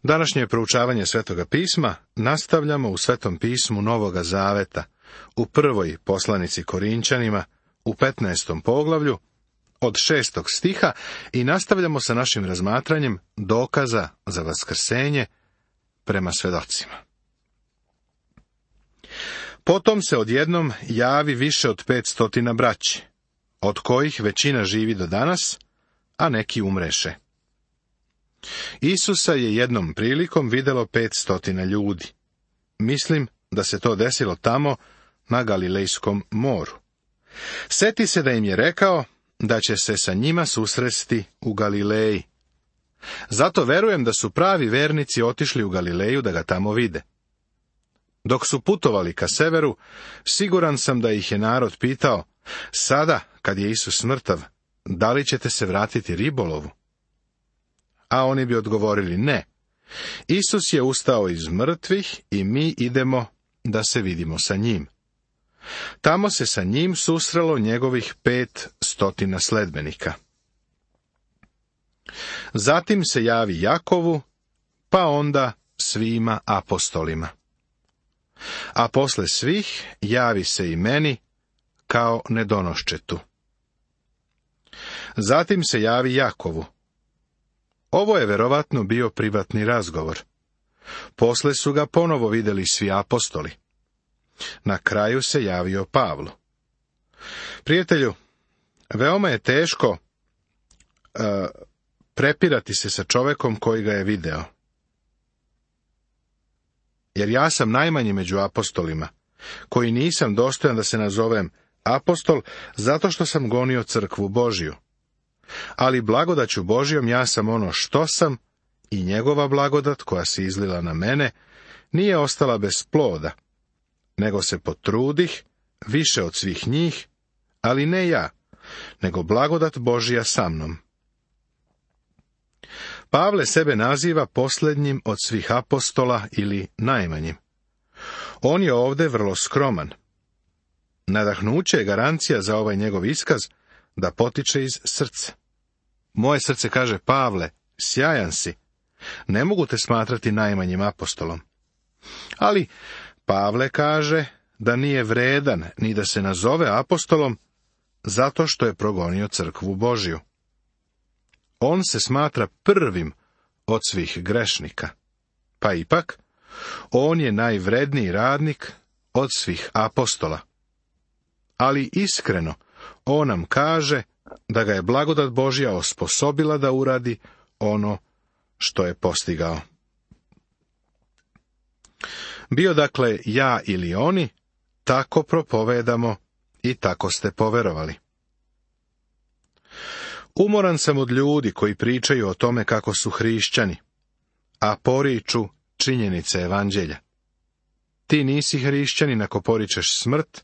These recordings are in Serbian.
Današnje proučavanje Svetoga pisma nastavljamo u Svetom pismu Novoga Zaveta, u prvoj poslanici Korinčanima, u 15. poglavlju, od 6. stiha i nastavljamo sa našim razmatranjem dokaza za vaskrsenje prema svedocima. Potom se odjednom javi više od 500 braći, od kojih većina živi do danas, a neki umreše. Isusa je jednom prilikom vidjelo 500 ljudi. Mislim da se to desilo tamo na Galilejskom moru. Seti se da im je rekao da će se sa njima susresti u Galileji. Zato verujem da su pravi vernici otišli u Galileju da ga tamo vide. Dok su putovali ka severu, siguran sam da ih je narod pitao, sada, kad je Isus mrtav, da li ćete se vratiti ribolovu? A oni bi odgovorili ne. Isus je ustao iz mrtvih i mi idemo da se vidimo sa njim. Tamo se sa njim susrelo njegovih 500 sledbenika. Zatim se javi Jakovu, pa onda svima apostolima. A posle svih javi se i meni kao nedonoščetu. Zatim se javi Jakovu. Ovo je verovatno bio privatni razgovor. Posle su ga ponovo vidjeli svi apostoli. Na kraju se javio Pavlu. Prijatelju, veoma je teško prepirati se sa čovekom koji ga je video. Jer ja sam najmanji među apostolima, koji nisam dostojan da se nazovem apostol, zato što sam gonio crkvu Božju. Ali blagodaću Božjom ja sam ono što sam i njegova blagodat koja se izlila na mene nije ostala bez ploda, nego se potrudih više od svih njih, ali ne ja, nego blagodat Božja sa mnom. Pavle sebe naziva posljednjim od svih apostola ili najmanjim. On je ovdje vrlo skroman. Nadahnuće je garancija za ovaj njegov iskaz da potiče iz srca. Moje srce kaže, Pavle, sjajan si, ne mogu te smatrati najmanjim apostolom. Ali Pavle kaže da nije vredan ni da se nazove apostolom zato što je progonio crkvu Božju. On se smatra prvim od svih grešnika. Pa ipak, on je najvredniji radnik od svih apostola. Ali iskreno, on nam kaže da ga je blagodat Božja osposobila da uradi ono što je postigao. Bio dakle ja ili oni, tako propovedamo i tako ste poverovali. Umoran sam od ljudi koji pričaju o tome kako su hrišćani, a poriču činjenice evanđelja. Ti nisi hrišćanin ako poričeš smrt,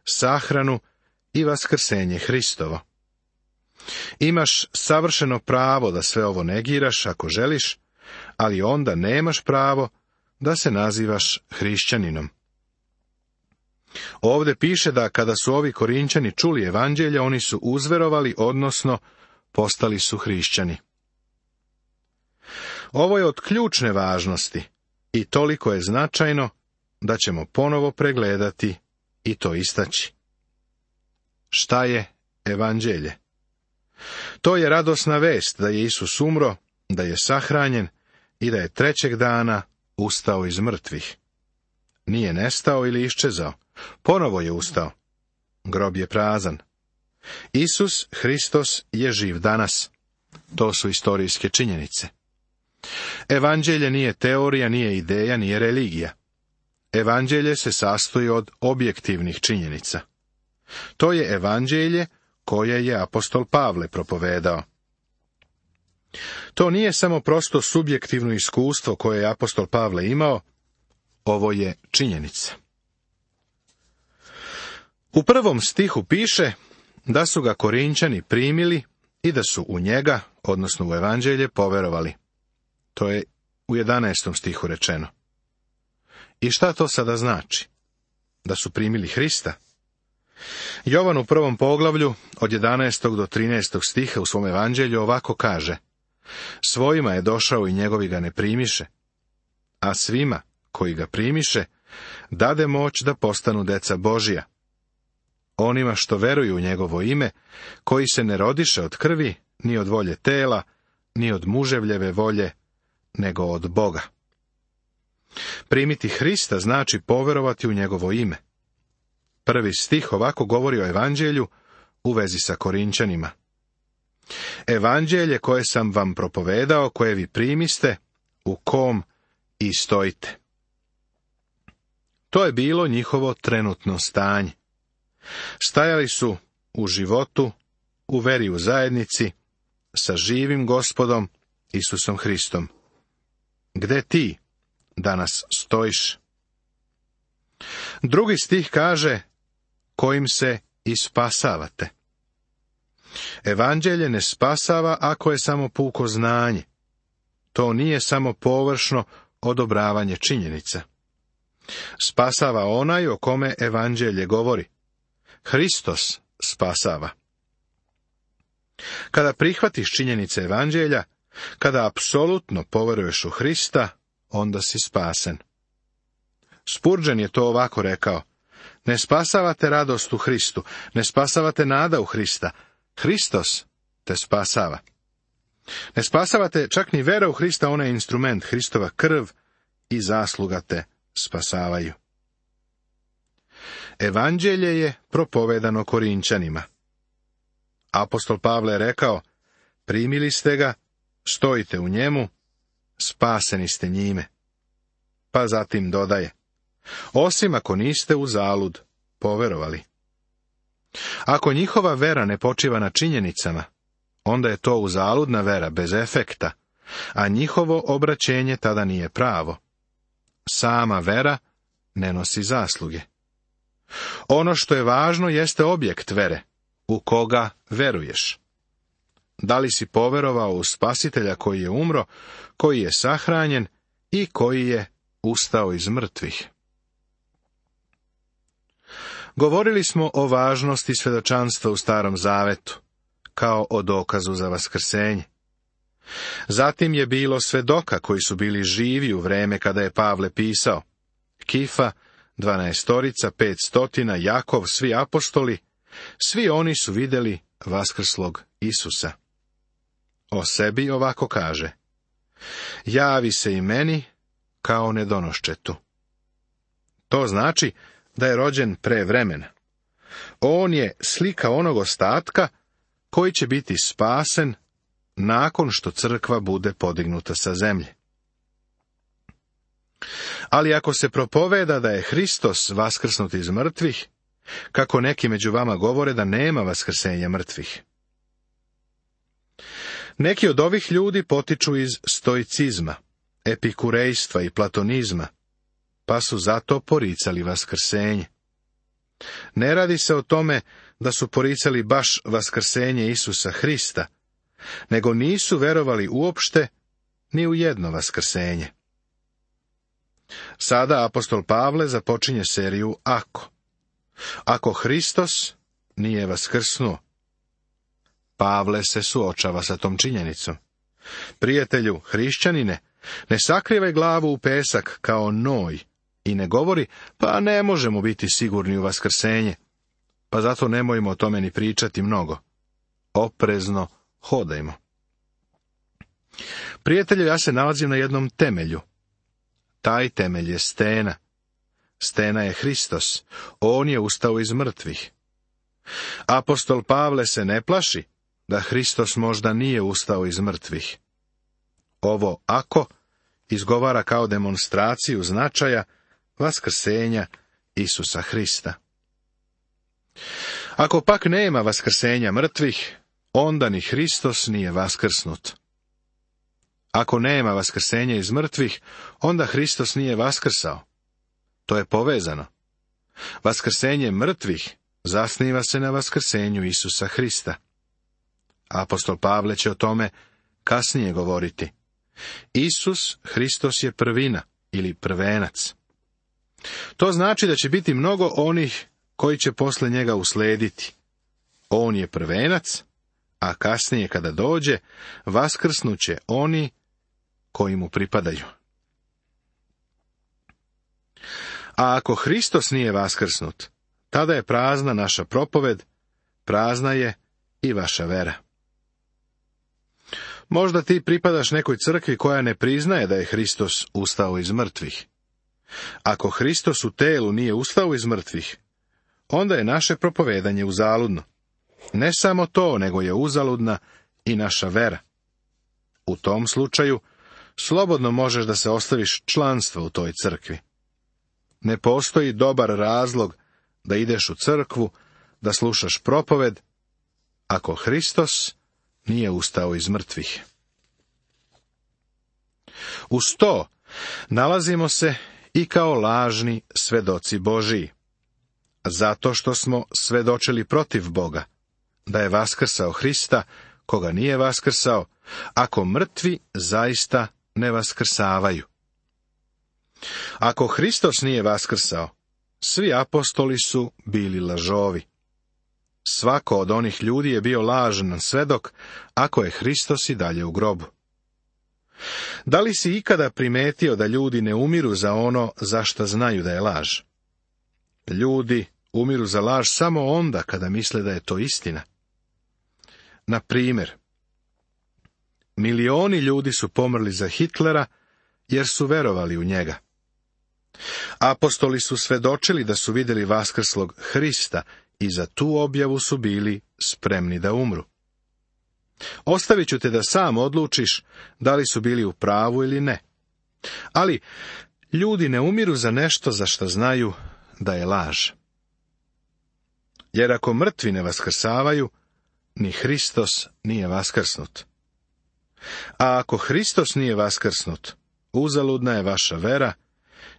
sahranu i vaskrsenje Hristovo. Imaš savršeno pravo da sve ovo negiraš ako želiš, ali onda nemaš pravo da se nazivaš hrišćaninom. Ovdje piše da kada su ovi Korinčani čuli evanđelje, oni su uzverovali, odnosno postali su hrišćani. Ovo je od ključne važnosti i toliko je značajno da ćemo ponovo pregledati i to istaći. Šta je evanđelje? To je radosna vest da je Isus umro, da je sahranjen i da je trećeg dana ustao iz mrtvih. Nije nestao ili iščezao, ponovo je ustao. Grob je prazan. Isus Hristos je živ danas. To su istorijske činjenice. Evanđelje nije teorija, nije ideja, nije religija. Evanđelje se sastoji od objektivnih činjenica. To je evanđelje koje je apostol Pavle propovedao. To nije samo prosto subjektivno iskustvo koje je apostol Pavle imao, ovo je činjenica. U 1. stihu piše da su ga Korinčani primili i da su u njega, odnosno u evanđelje, poverovali. To je u 11. stihu rečeno. I šta to sada znači? Da su primili Hrista? Jovan u 1. poglavlju, od 11. do 13. stiha u svom evanđelju ovako kaže: Svojima je došao i njegovi ga ne primiše, a svima koji ga primiše, dade moć da postanu deca Božija. Onima što veruju u njegovo ime, koji se ne rodiše od krvi, ni od volje tela, ni od muževljeve volje, nego od Boga. Primiti Hrista znači poverovati u njegovo ime. 1. stih ovako govori o evanđelju u vezi sa Korinčanima. Evanđelje koje sam vam propovedao, koje vi primiste, u kom i stojite. To je bilo njihovo trenutno stanje. Stajali su u životu, u veri u zajednici, sa živim Gospodom Isusom Hristom. Gde ti danas stojiš? 2. stih kaže, kojim se i spasavate. Evanđelje ne spasava ako je samo puko znanje. To nije samo površno odobravanje činjenica. Spasava onaj o kome evanđelje govori. Hristos spasava. Kada prihvatiš činjenice evanđelja, kada apsolutno poveruješ u Hrista, onda si spasen. Spurgeon je to ovako rekao: ne spasavate radost u Hristu, ne spasavate nada u Hrista, Hristos te spasava. Ne spasavate čak ni vera u Hrista, ona je instrument, Hristova krv i zasluga te spasavaju. Evanđelje je propovedano Korinčanima. Apostol Pavle je rekao, primili ste ga, stojite u njemu, spaseni ste njime. Pa zatim dodaje, osim ako niste uzalud poverovali. Ako njihova vera ne počiva na činjenicama, onda je to uzaludna vera bez efekta, a njihovo obraćenje tada nije pravo. Sama vera ne nosi zasluge. Ono što je važno jeste objekt vere, u koga veruješ. Da li si poverovao u Spasitelja koji je umro, koji je sahranjen i koji je ustao iz mrtvih? Govorili smo o važnosti svjedočanstva u Starom Zavetu, kao o dokazu za vaskrsenje. Zatim je bilo svedoka koji su bili živi u vreme kada je Pavle pisao. Kifa, 12, 500, Jakov, svi apostoli, svi oni su vidjeli vaskrslog Isusa. O sebi ovako kaže, javi se i meni kao nedonoščetu. To znači da je rođen pre vremena. On je slika onog ostatka koji će biti spasen nakon što crkva bude podignuta sa zemlje. Ali ako se propoveda da je Hristos vaskrsnut iz mrtvih, kako neki među vama govore da nema vaskrsenja mrtvih. Neki od ovih ljudi potiču iz stoicizma, epikurejstva i platonizma, pa su zato poricali vaskrsenje. Ne radi se o tome da su poricali baš vaskrsenje Isusa Hrista, nego nisu verovali uopšte ni u jedno vaskrsenje. Sada apostol Pavle započinje seriju ako. Ako Hristos nije vaskrsnuo. Pavle se suočava sa tom činjenicom. Prijatelju, hrišćanine, ne sakrivaj glavu u pesak kao Noj i ne govori, pa ne možemo biti sigurni u vaskrsenje, pa zato nemojmo o tome ni pričati mnogo. Oprezno hodajmo. Prijatelju, ja se nalazim na jednom temelju. Taj temelj je stena. Stena je Hristos. On je ustao iz mrtvih. Apostol Pavle se ne plaši da Hristos možda nije ustao iz mrtvih. Ovo ako izgovara kao demonstraciju značaja vaskrsenja Isusa Hrista. Ako pak nema vaskrsenja mrtvih, onda ni Hristos nije vaskrsnut. Ako nema vaskrsenja iz mrtvih, onda Hristos nije vaskrsao. To je povezano. Vaskrsenje mrtvih zasniva se na vaskrsenju Isusa Hrista. Apostol Pavle će o tome kasnije govoriti. Isus Hristos je prvina ili prvenac. To znači da će biti mnogo onih koji će posle njega uslediti. On je prvenac, a kasnije kada dođe, vaskrsnuće oni koji mu pripadaju. A ako Hristos nije vaskrsnut, tada je prazna naša propoved, prazna je i vaša vera. Možda ti pripadaš nekoj crkvi koja ne priznaje da je Hristos ustao iz mrtvih. Ako Hristos u telu nije ustao iz mrtvih, onda je naše propovedanje uzaludno. Ne samo to, nego je uzaludna i naša vera. U tom slučaju, slobodno možeš da se ostaviš članstva u toj crkvi. Ne postoji dobar razlog da ideš u crkvu, da slušaš propoved, ako Hristos nije ustao iz mrtvih. Uz to nalazimo se i kao lažni svedoci Božiji, zato što smo svedočili protiv Boga, da je vaskrsao Hrista, koga nije vaskrsao, ako mrtvi zaista ne vaskrsavaju. Ako Hristos nije vaskrsao, svi apostoli su bili lažovi. Svako od onih ljudi je bio lažan svedok, ako je Hristos i dalje u grobu. Da li si ikada primetio da ljudi ne umiru za ono za šta znaju da je laž? Ljudi umiru za laž samo onda kada misle da je to istina. Na primjer, milioni ljudi su pomrli za Hitlera jer su verovali u njega. Apostoli su svedočili da su vidjeli vaskrslog Hrista i za tu objavu su bili spremni da umru. Ostavit ću te da sam odlučiš da li su bili u pravu ili ne. Ali ljudi ne umiru za nešto za što znaju da je laž. Jer ako mrtvi ne vaskrsavaju, ni Hristos nije vaskrsnut. A ako Hristos nije vaskrsnut, uzaludna je vaša vera,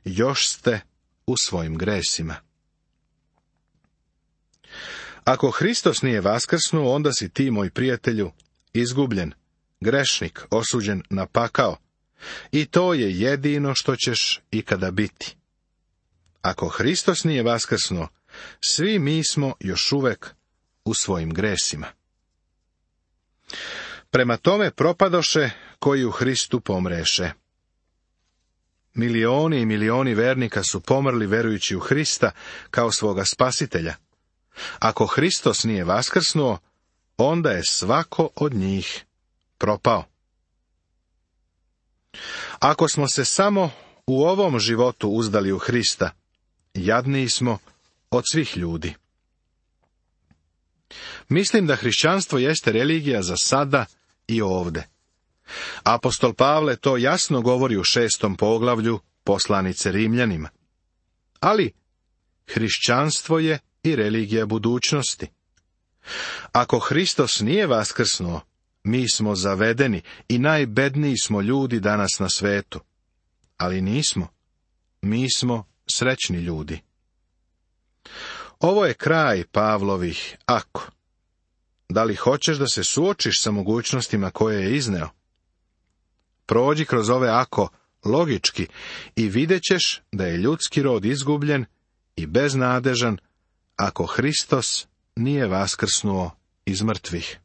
još ste u svojim gresima. Ako Hristos nije vaskrsnuo, onda si ti, moj prijatelju, izgubljen, grešnik, osuđen na pakao. I to je jedino što ćeš ikada biti. Ako Hristos nije vaskrsnuo, svi mi smo još uvek u svojim gresima. Prema tome propadoše koji u Hristu pomreše. Milioni i milioni vernika su pomrli verujući u Hrista kao svoga spasitelja. Ako Hristos nije vaskrsnuo, onda je svako od njih propao. Ako smo se samo u ovom životu uzdali u Hrista, jadniji smo od svih ljudi. Mislim da hrišćanstvo jeste religija za sada i ovde. Apostol Pavle to jasno govori u 6. poglavlju poslanice Rimljanima. Ali hrišćanstvo je i religija budućnosti. Ako Hristos nije vaskrsnuo, mi smo zavedeni i najbedniji smo ljudi danas na svetu. Ali nismo. Mi smo srećni ljudi. Ovo je kraj Pavlovih ako. Da li hoćeš da se suočiš sa mogućnostima koje je izneo? Prođi kroz ove ako logički i vidjet ćeš da je ljudski rod izgubljen i beznadežan ako Hristos nije vaskrsnuo iz mrtvih.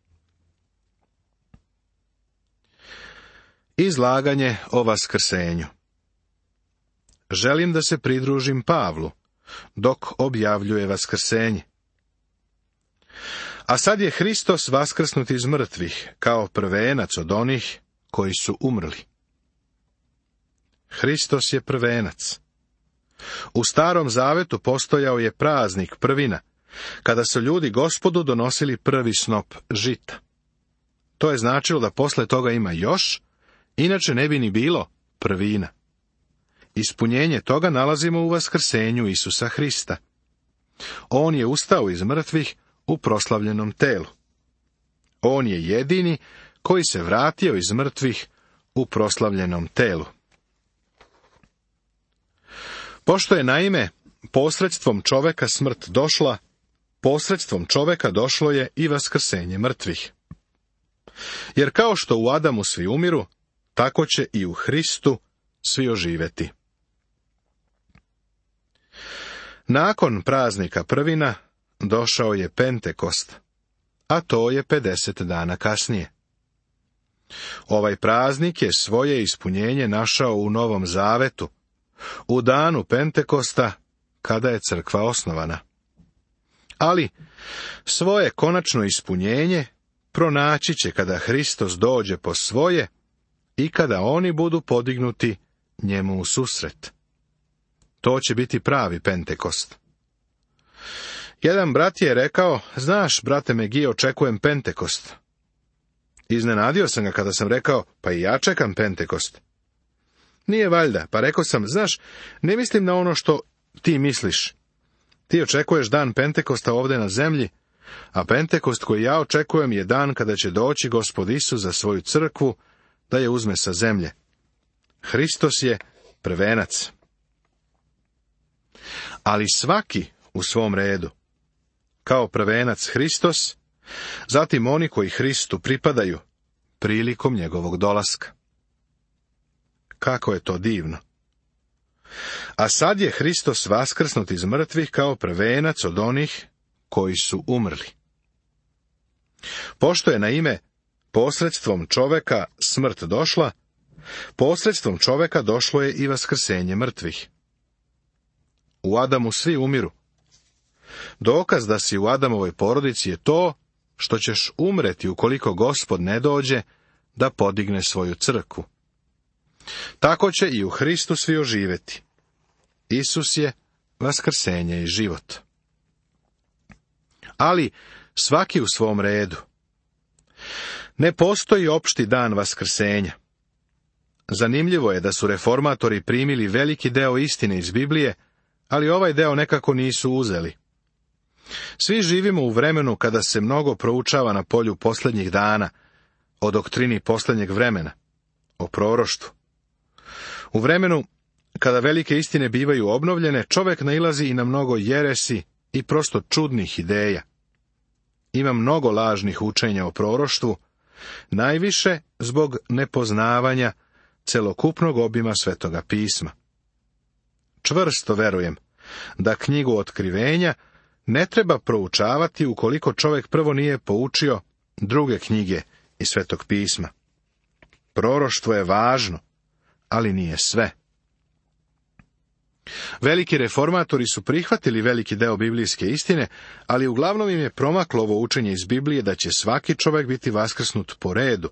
Izlaganje o vaskrsenju. Želim da se pridružim Pavlu dok objavljuje vaskrsenje. A sad je Hristos vaskrsnut iz mrtvih kao prvenac od onih koji su umrli. Hristos je prvenac. U Starom Zavetu postojao je praznik prvina, kada su ljudi Gospodu donosili prvi snop žita. To je značilo da posle toga ima još, inače ne bi ni bilo prvina. Ispunjenje toga nalazimo u vaskrsenju Isusa Hrista. On je ustao iz mrtvih u proslavljenom telu. On je jedini koji se vratio iz mrtvih u proslavljenom telu. Pošto je naime posredstvom čoveka smrt došla, posredstvom čoveka došlo je i vaskrsenje mrtvih. Jer kao što u Adamu svi umiru, tako će i u Hristu svi oživeti. Nakon praznika prvina došao je Pentekost, a to je 50 dana kasnije. Ovaj praznik je svoje ispunjenje našao u Novom Zavetu, u danu Pentekosta kada je crkva osnovana. Ali svoje konačno ispunjenje pronaći će kada Hristos dođe po svoje i kada oni budu podignuti njemu u susret. To će biti pravi Pentekost. Jedan brat je rekao: znaš, brate Megi, očekujem Pentekost. Iznenadio sam ga kada sam rekao: pa i ja čekam Pentekost. Nije valjda, pa rekao sam: znaš, ne mislim na ono što ti misliš. Ti očekuješ dan Pentekosta ovdje na zemlji, a Pentekost koji ja očekujem je dan kada će doći Gospod Isus za svoju crkvu da je uzme sa zemlje. Hristos je prvenac. Ali svaki u svom redu. Kao prvenac Hristos, zatim oni koji Hristu pripadaju prilikom njegovog dolaska. Kako je to divno! A sad je Hristos vaskrsnut iz mrtvih kao prvenac od onih koji su umrli. Pošto je naime posredstvom čoveka smrt došla, posredstvom čoveka došlo je i vaskrsenje mrtvih. U Adamu svi umiru. Dokaz da si u Adamovoj porodici je to što ćeš umreti ukoliko Gospod ne dođe da podigne svoju crkvu. Tako će i u Hristu svi oživjeti. Isus je vaskrsenje i život. Ali svaki u svom redu. Ne postoji opšti dan vaskrsenja. Zanimljivo je da su reformatori primili veliki deo istine iz Biblije, ali ovaj deo nekako nisu uzeli. Svi živimo u vremenu kada se mnogo proučava na polju posljednjih dana, o doktrini posljednjeg vremena, o proroštvu. U vremenu kada velike istine bivaju obnovljene, čovjek nailazi i na mnogo jeresi i prosto čudnih ideja. Ima mnogo lažnih učenja o proroštvu, najviše zbog nepoznavanja celokupnog obima Svetoga pisma. Čvrsto verujem da knjigu Otkrivenja ne treba proučavati ukoliko čovjek prvo nije poučio druge knjige iz Svetog pisma. Proroštvo je važno, ali nije sve. Veliki reformatori su prihvatili veliki deo biblijske istine, ali uglavnom im je promaklo ovo učenje iz Biblije da će svaki čovjek biti vaskrsnut po redu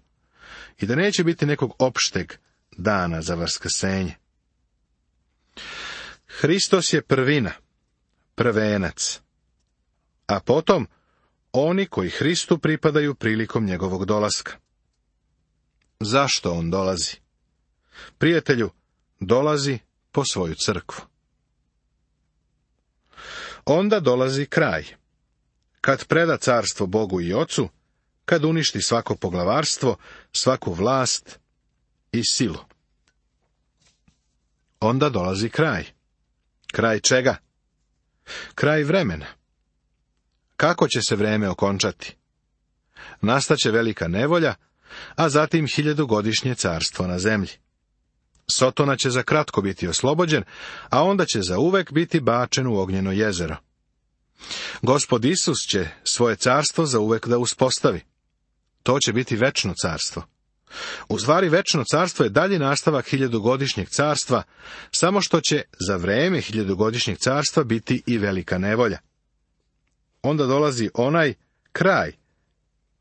i da neće biti nekog opšteg dana za vaskrsenje. Hristos je prvina, prvenac, a potom oni koji Hristu pripadaju prilikom njegovog dolaska. Zašto on dolazi? Prijatelju, dolazi po svoju crkvu. Onda dolazi kraj. Kad preda carstvo Bogu i Ocu, kad uništi svako poglavarstvo, svaku vlast i silu. Onda dolazi kraj. Kraj čega? Kraj vremena. Kako će se vreme okončati? Nastaće velika nevolja, a zatim 1000-godišnje carstvo na zemlji. Sotona će za kratko biti oslobođen, a onda će zauvek biti bačen u ognjeno jezero. Gospod Isus će svoje carstvo zauvek da uspostavi. To će biti večno carstvo. U stvari, večno carstvo je dalji nastavak 1000-godišnjeg carstva, samo što će za vreme 1000-godišnjeg carstva biti i velika nevolja. Onda dolazi onaj kraj,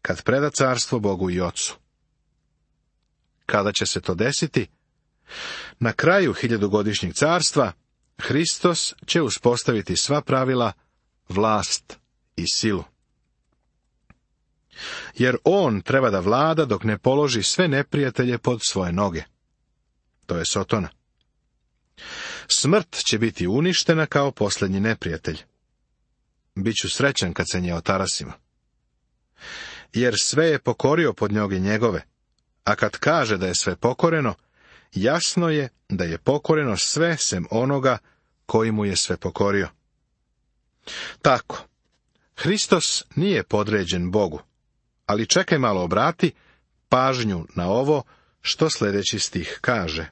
kad preda carstvo Bogu i Ocu. Kada će se to desiti? Na kraju 1000-godišnjeg carstva Hristos će uspostaviti sva pravila, vlast i silu. Jer on treba da vlada dok ne položi sve neprijatelje pod svoje noge. To je Sotona. Smrt će biti uništena kao posljednji neprijatelj. Biću srećan kad se nje otarasimo. Jer sve je pokorio pod noge njegove, a kad kaže da je sve pokoreno, jasno je da je pokoreno sve sem onoga koji mu je sve pokorio. Tako, Hristos nije podređen Bogu, ali čekaj malo, obrati pažnju na ovo što sljedeći stih kaže.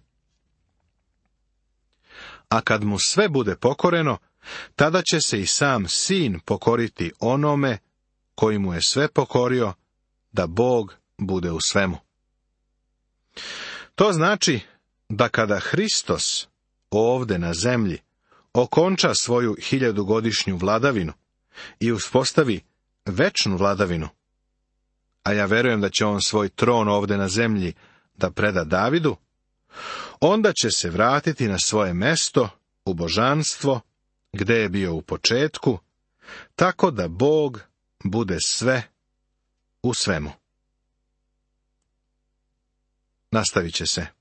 A kad mu sve bude pokoreno, tada će se i sam sin pokoriti onome koji mu je sve pokorio, da Bog bude u svemu. To znači da kada Hristos ovdje na zemlji okonča svoju 1000-godišnju vladavinu i uspostavi večnu vladavinu, a ja verujem da će on svoj tron ovdje na zemlji da preda Davidu, onda će se vratiti na svoje mesto u božanstvo, gdje je bio u početku, tako da Bog bude sve u svemu. Nastavit će se.